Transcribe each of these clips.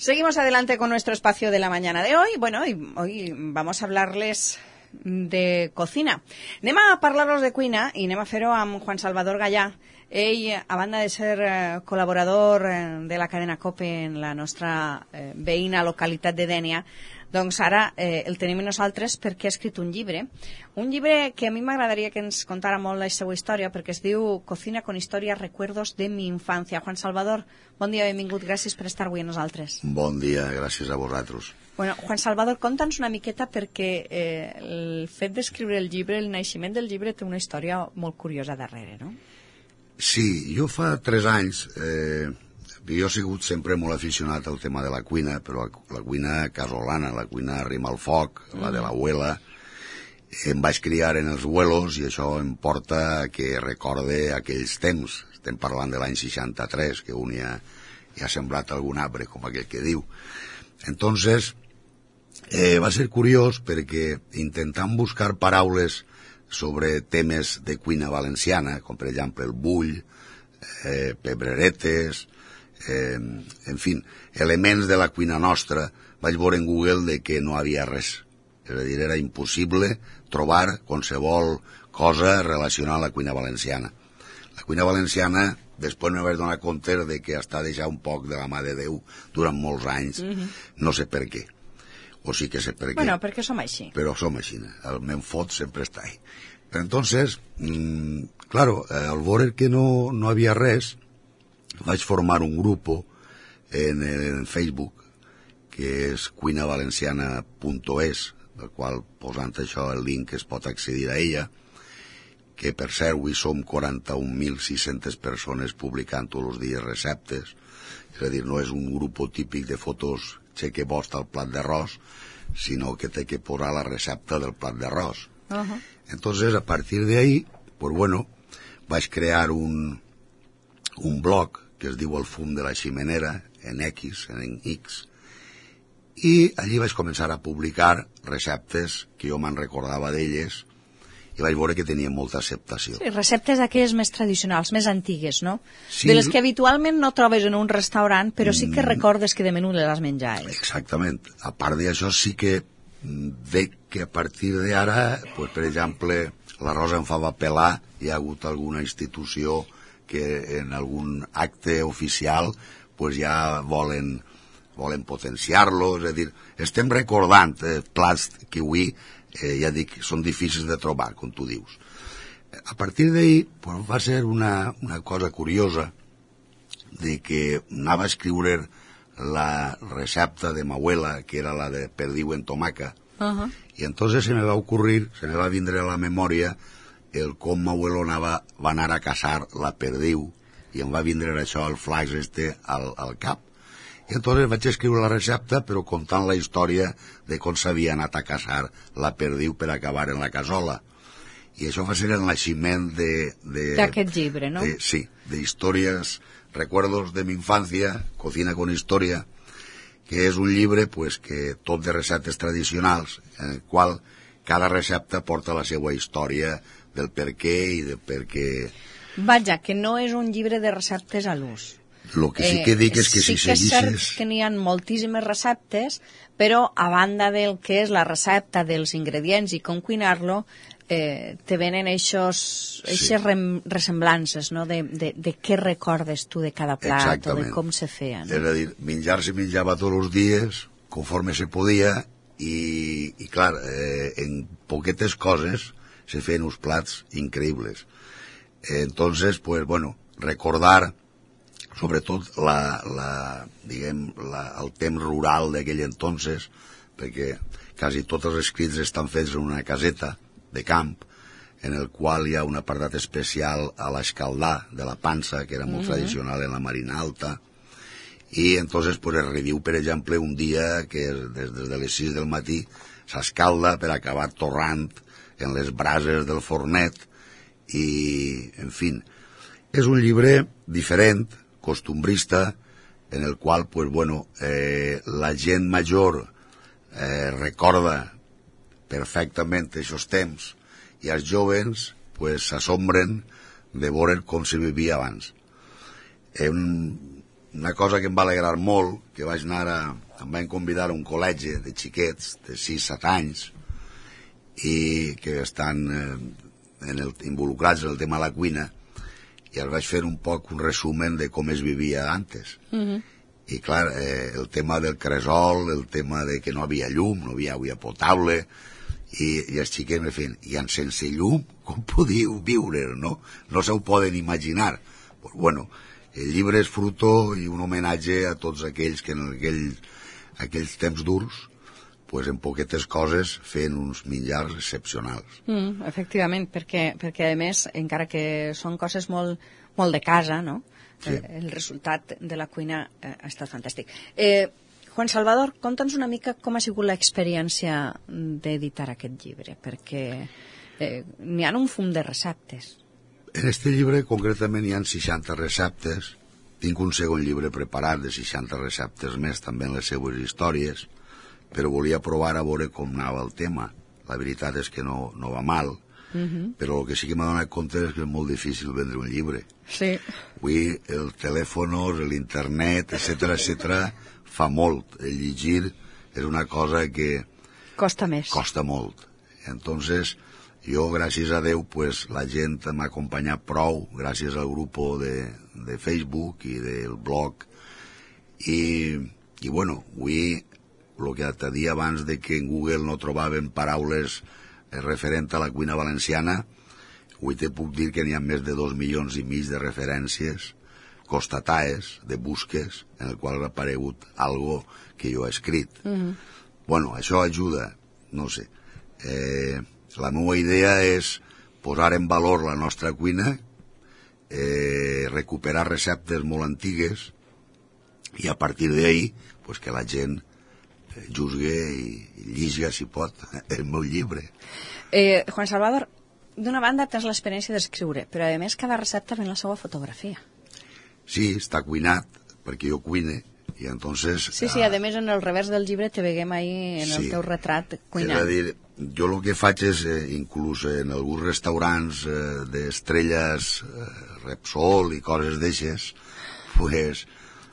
Seguimos adelante con nuestro espacio de la mañana de hoy. Bueno, hoy vamos a hablarles de cocina. Anem a parlar-los de cuina i anem a fer-ho amb Juan Salvador Gallà. Ell, a banda de ser col·laborador de la cadena COPE en la nostra veïna localitat de Dénia, doncs ara el tenim nosaltres perquè ha escrit un llibre que a mi m'agradaria que ens contara molt la seva història, perquè es diu Cocina con historia, recuerdos de mi infancia. Juan Salvador, bon dia, benvingut, gràcies per estar avui amb nosaltres. Bon dia, gràcies a vosaltres. Bueno, Juan Salvador, conta'ns una miqueta perquè el fet d'escriure el llibre, el naixement del llibre, té una història molt curiosa darrere, no? Sí, jo fa 3 anys... jo he sigut sempre molt aficionat al tema de la cuina, però la cuina casolana, la cuina rima al foc, la de l'abuela. Em vaig criar en els vuelos i això em porta que recorde aquells temps. Estem parlant de l'any 63, que un ja ha sembrat algun arbre, com aquell que diu. Entonces, va ser curiós perquè intentant buscar paraules sobre temes de cuina valenciana, com per exemple el bull, pebreretes, en fi, elements de la cuina nostra, vaig veure en Google de que no havia res. És a dir, era impossible trobar qualsevol cosa relacionada amb la cuina valenciana. La cuina valenciana, després me vaig donar compte de que està deixat un poc de la mà de Déu durant molts anys, no sé per què. O sí que sé per què. Bueno, perquè som així. Però som així, el me'n fot sempre està ahí. Però entonces, claro, al veure que no havia res, vaig formar un grup en Facebook que és cuinavalenciana.es, del qual posant això el link es pot accedir a ella, que per cert avui som 41.600 persones publicant tots els dies receptes, és a dir, no és un grup típic de fotos xeque bosta al plat d'arròs, sinó que té que posar la recepta del plat d'arròs. Entonces, a partir de ahí, pues bueno, vaig crear un blog que es diu El fum de la ximenera, en X, i allí vaig començar a publicar receptes que jo me'n recordava d'elles i vaig veure que tenien molta acceptació. Sí, receptes d'aquelles més tradicionals, més antigues, no? Sí. De les que habitualment no trobes en un restaurant, però sí que recordes que de menú les has menjat. Exactament. A part d'això sí que veig que a partir d'ara, pues, per exemple, l'arròs en fava pelar, hi ha hagut alguna institució que en algun acte oficial pues ja volen potenciar-lo, és a dir, estem recordant plats que avui, ja dic, són difícils de trobar, com tu dius. A partir d'ahir pues, va ser una cosa curiosa de que anava a escriure la recepta de ma abuela, que era la de perdiu en tomaca, i entonces se me va vindre a la memòria el com ma abuelo va anar a caçar la perdiu i em va vindre això, el flash al cap. I entonces vaig escriure la recepta però contant la història de com s'havia anat a caçar la perdiu per acabar en la casola. I això va ser el naixement d'aquest llibre, no? Sí, de històries, recuerdos de mi infancia, Cocina con historia, que és un llibre pues, que tot de receptes tradicionals, en el qual cada recepta porta la seva història del per què i del per què... Vaja, que no és un llibre de receptes a l'ús. El que sí que dic és que si seguissis... Sí que és cert que n'hi ha moltíssimes receptes, però a banda del que és la recepta dels ingredients i com cuinar-lo, te venen eixes ressemblances, no? De què recordes tu de cada plat. Exactament. O de com se feia. No? És a dir, menjar se menjava tots els dies, conforme se podia, i clar, en poquetes coses se feien uns plats increïbles. Entonces, pues bueno, recordar sobretot el temps rural d'aquell entonces, perquè quasi tots els escrits estan fets en una caseta de camp, en el qual hi ha un apartat especial a l'escaldar de la pansa, que era molt tradicional en la Marina Alta, i entonces pues, es reviu, per exemple, un dia que des de les 6 del matí s'escalda per acabar torrant en les brases del fornet, i, en fi, és un llibre diferent, costumbrista, en el qual, pues, bueno, la gent major recorda perfectament aquests temps i els joves pues, s'assombren de veure com se vivia abans. una cosa que em va alegrar molt, que vaig anar em van convidar a un col·legi de xiquets de 6-7 anys i que estan involucrats en el tema de la cuina, i els vaig fer un poc un resumen de com es vivia antes. I clar, el tema del cresol, el tema de que no havia llum, no havia aigua potable, i els xiquets me feien, i sense llum com podíeu viure, no? No se ho poden imaginar. Pues bueno, el llibre és fruto i un homenatge a tots aquells que en aquells temps durs, pues en poquetes coses feien uns menjars excepcionals. Efectivament, perquè a més, encara que són coses molt de casa, no? Sí. El resultat de la cuina ha estat fantàstic. Juan Salvador, conta'ns una mica com ha sigut l'experiència d'editar aquest llibre, perquè n'hi ha un fum de receptes. En este llibre, concretament, hi ha 60 receptes. Tinc un segon llibre preparat de 60 receptes més, també en les seues històries, però volia provar a veure com anava el tema. La veritat és que no va mal, però el que sí que m'ha donat compte és que és molt difícil vendre un llibre. Sí. Avui el telèfon, l'internet, etcètera, fa molt. El llegir és una cosa que costa més. Costa molt. Entonces, jo, gràcies a Déu, pues, la gent m'ha acompanyat prou, gràcies al grup de Facebook i del blog. I bueno, avui, el que te dia abans de que en Google no trobaven paraules referent a la cuina valenciana, avui te puc dir que n'hi ha més de 2,5 milions de referències constatades, de busques, en el qual ha aparegut algo que jo he escrit. Bueno, això ajuda, no sé. La meva idea és posar en valor la nostra cuina, recuperar receptes molt antigues i a partir d'ahí pues, que la gent juzgue i lliga, si pot, el meu llibre. Juan Salvador, d'una banda tens l'experiència d'escriure, però a més cada recepta ven la seva fotografia. Sí, està cuinat, perquè jo cuine, i entonces... Sí, a més en el revers del llibre te veiem ahí en el teu retrat cuinant. És a dir, jo el que faig és, inclús en alguns restaurants d'estrelles Repsol i coses d'eixes, pues,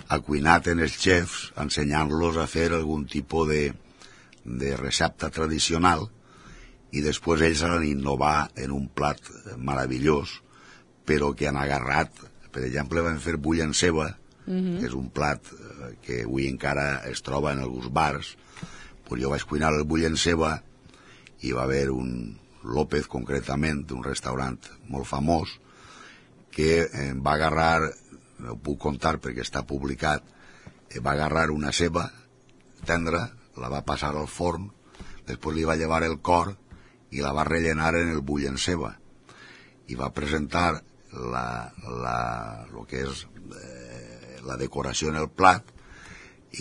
ha cuinat en els xefs, ensenyant-los a fer algun tipus de recepta tradicional, i després ells han innovar en un plat meravellós, però que han agarrat, per exemple, van fer bull en ceba, que és un plat que avui encara es troba en alguns bars. Pues jo vaig cuinar el bull en ceba i va haver un López, concretament, d'un restaurant molt famós, que va agarrar, no ho puc contar perquè està publicat, va agarrar una ceba tendra, la va passar al forn, després li va llevar el cor i la va rellenar en el bull en ceba i va presentar lo que és la decoració en el plat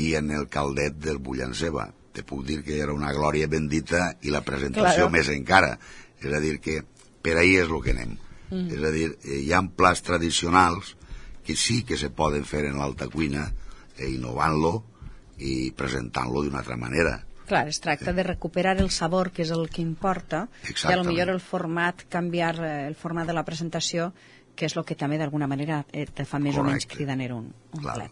i en el caldet del bull en ceba. Te puc dir que era una glòria bendita i la presentació més encara. És a dir, que per ahí és el que anem. És a dir, hi ha plats tradicionals que sí que se poden fer en l'alta cuina, innovant-lo i presentant-lo d'una altra manera. Clar, es tracta de recuperar el sabor, que és el que importa, i potser el format, canviar el format de la presentació, que és el que també d'alguna manera te fa més o menys cridaner un plat.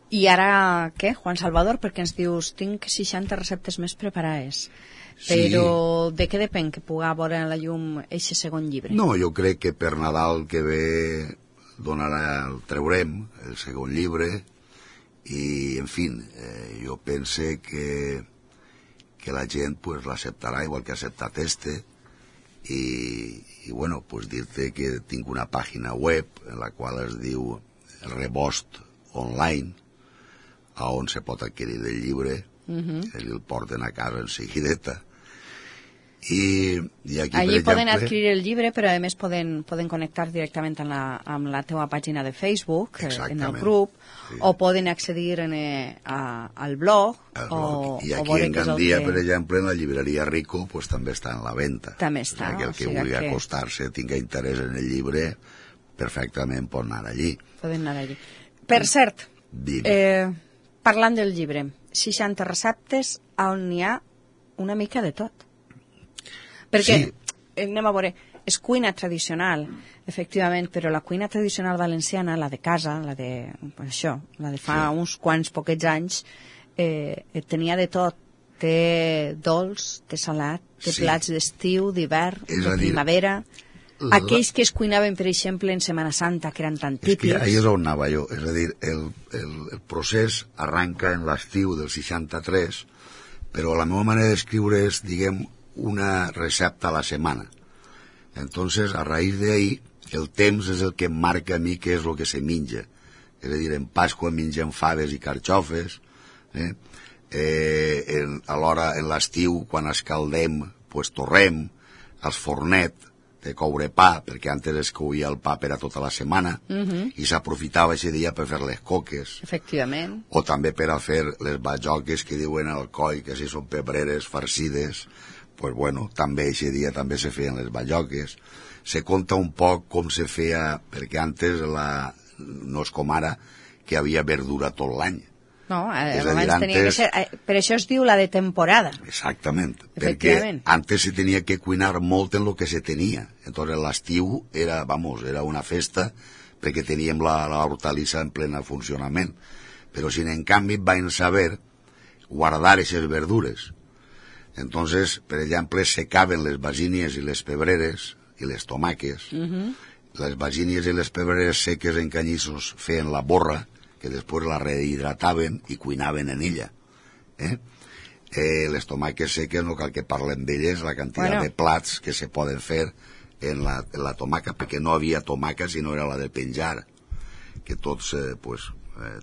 I ara, què, Juan Salvador? Perquè ens dius, tinc 60 receptes més preparades. Però de què depèn que pugui veure la llum eixe segon llibre? No, jo crec que per Nadal que ve el traurem, el segon llibre, i, en fi, jo pense que la gent pues, l'acceptarà igual que ha acceptat i bueno, pues dir-te que tinc una pàgina web en la qual es diu Rebost Online, on se pot adquirir el llibre, el porten a casa en seguideta. I aquí, allí poden adquirir el llibre, però a més poden connectar directament amb la teva pàgina de Facebook, en el grup, o poden accedir al blog. I aquí en Gandia, per exemple, en la llibreria Rico, pues, també està en la venda. També està. Que el que vulgui acostar-se, tinga interès en el llibre, perfectament pot anar allí. Poden anar allí. Per cert, parlant del llibre, 60 receptes on n'hi ha una mica de tot. Perquè, anem a veure, és cuina tradicional, efectivament, però la cuina tradicional valenciana, la de casa, la de fa uns quants poquets anys, tenia de tot. Té dolç, té salat, té plats d'estiu, d'hivern, de primavera. Aquells que es cuinaven, per exemple, en Setmana Santa, que eren tan típics. És que ahí és on anava jo. És a dir, el procés arranca en l'estiu del 63, però la meva manera d'escriure és, diguem, una recepta a la setmana. Entonces, a raíz de ahí, el temps és el que em marca a mi què és el que se menja. És a dir, en Pasqua mengem faves i carxofes, alhora en l'estiu, quan escaldem, pues torrem, els fornet de coure pa, perquè antes es couia el pa per a tota la setmana, i s'aprofitava aquest dia per fer les coques. Efectivament. O també per a fer les bajoques que diuen al coll, que si són pebreres farcides, pues bueno, també aquest dia també se feien les bajoques. Se conta un poc com se feia, perquè antes no és com ara, que hi havia verdura tot l'any. No, abans tenia que ser... Per això es diu la de temporada. Exactament, perquè antes se tenia que cuinar molt en lo que se tenia. Entonces l'estiu era una festa perquè teníem la hortalissa en plena funcionament. Però si en canvi van saber guardar aquestes verdures. Entonces, per exemple, secaven les basínies i les pebreres i les tomaques. Les basínies i les pebreres seques en canyissos feien la borra, que després la rehidrataven i cuinaven en ella. Les tomaques seques no cal que parlem d'elles, la quantitat de plats que se poden fer en la tomaca, perquè no havia tomaca sinó era la de penjar, que tots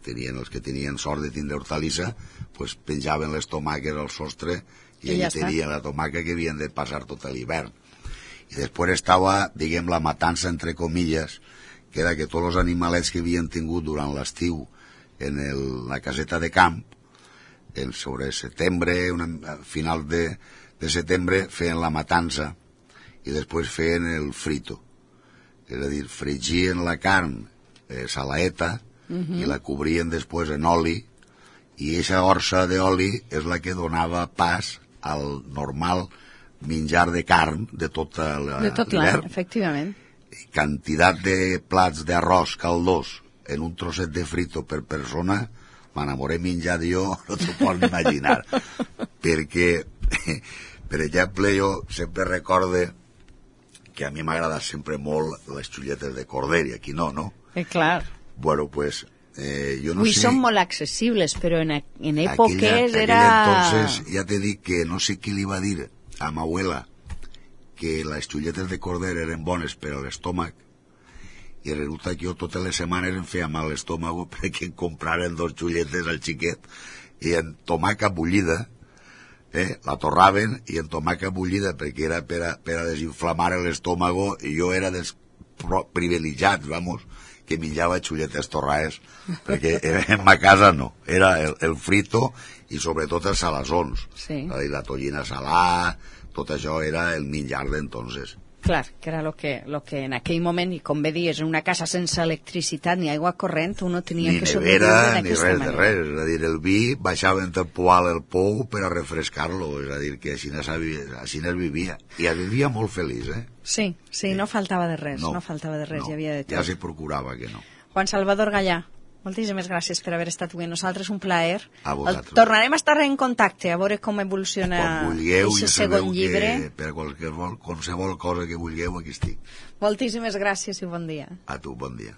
tenien, els que tenien sort de tindre hortalissa, penjaven les tomaques al sostre i allà tenien la tomaca que havien de passar tot l'hivern. I després estava, diguem, la matança entre comilles, que era que tots els animalets que havien tingut durant l'estiu en la caseta de camp, sobre setembre, a final de setembre, feien la matança i després feien el frito. És a dir, fregien la carn salaeta i la cobrien després en oli, i aquesta orsa d'oli és la que donava pas al normal menjar de carn de tot l'hivern. Efectivament. Quantitat de plats d'arròs caldós en un trosset de frito per persona, m'enamoré menjat jo, no t'ho pots imaginar. Perquè, per exemple, jo sempre recorde que a mi m'agrada sempre molt les xulletes de corder, i aquí no? Clar. Bueno, pues, jo no sé... Avui són molt accessibles, però en èpoques era... Entonces, ja t'he dit que no sé qui li va dir a ma abuela que les xulletes de corder eren bones per a l'estómac, i resulta que jo totes les setmanes em feia mal l'estómac perquè em compraren 2 xulletes al xiquet, i en tomaca bullida, la torraven, i en tomaca bullida, perquè era per a desinflamar l'estómago, i jo era dels privilegiats, que menjava xulletes torrades, perquè en ma casa no, era el frito i sobretot els salassons, la tollina salà, tot això era el menjar d'entonces. Clar, que era lo que en aquell moment, i com bé dius, en una casa sense electricitat ni aigua corrent, uno tenia que sobreviure d'aquesta manera. Ni res de res, és a dir, el vi baixava en temporal el pou per a refrescar-lo, és a dir, que així es vivia, i es vivia molt feliç, Sí, no faltava de res, no faltava de res, hi havia de tot. Ja se procurava que no. Juan Salvador Gallà, moltíssimes gràcies per haver estat avui amb nosaltres, un plaer. A vosaltres. Tornarem a estar en contacte, a veure com evoluciona aquest segon llibre. Per qualsevol cosa que vulgueu, aquí estic. Moltíssimes gràcies i bon dia. A tu, bon dia.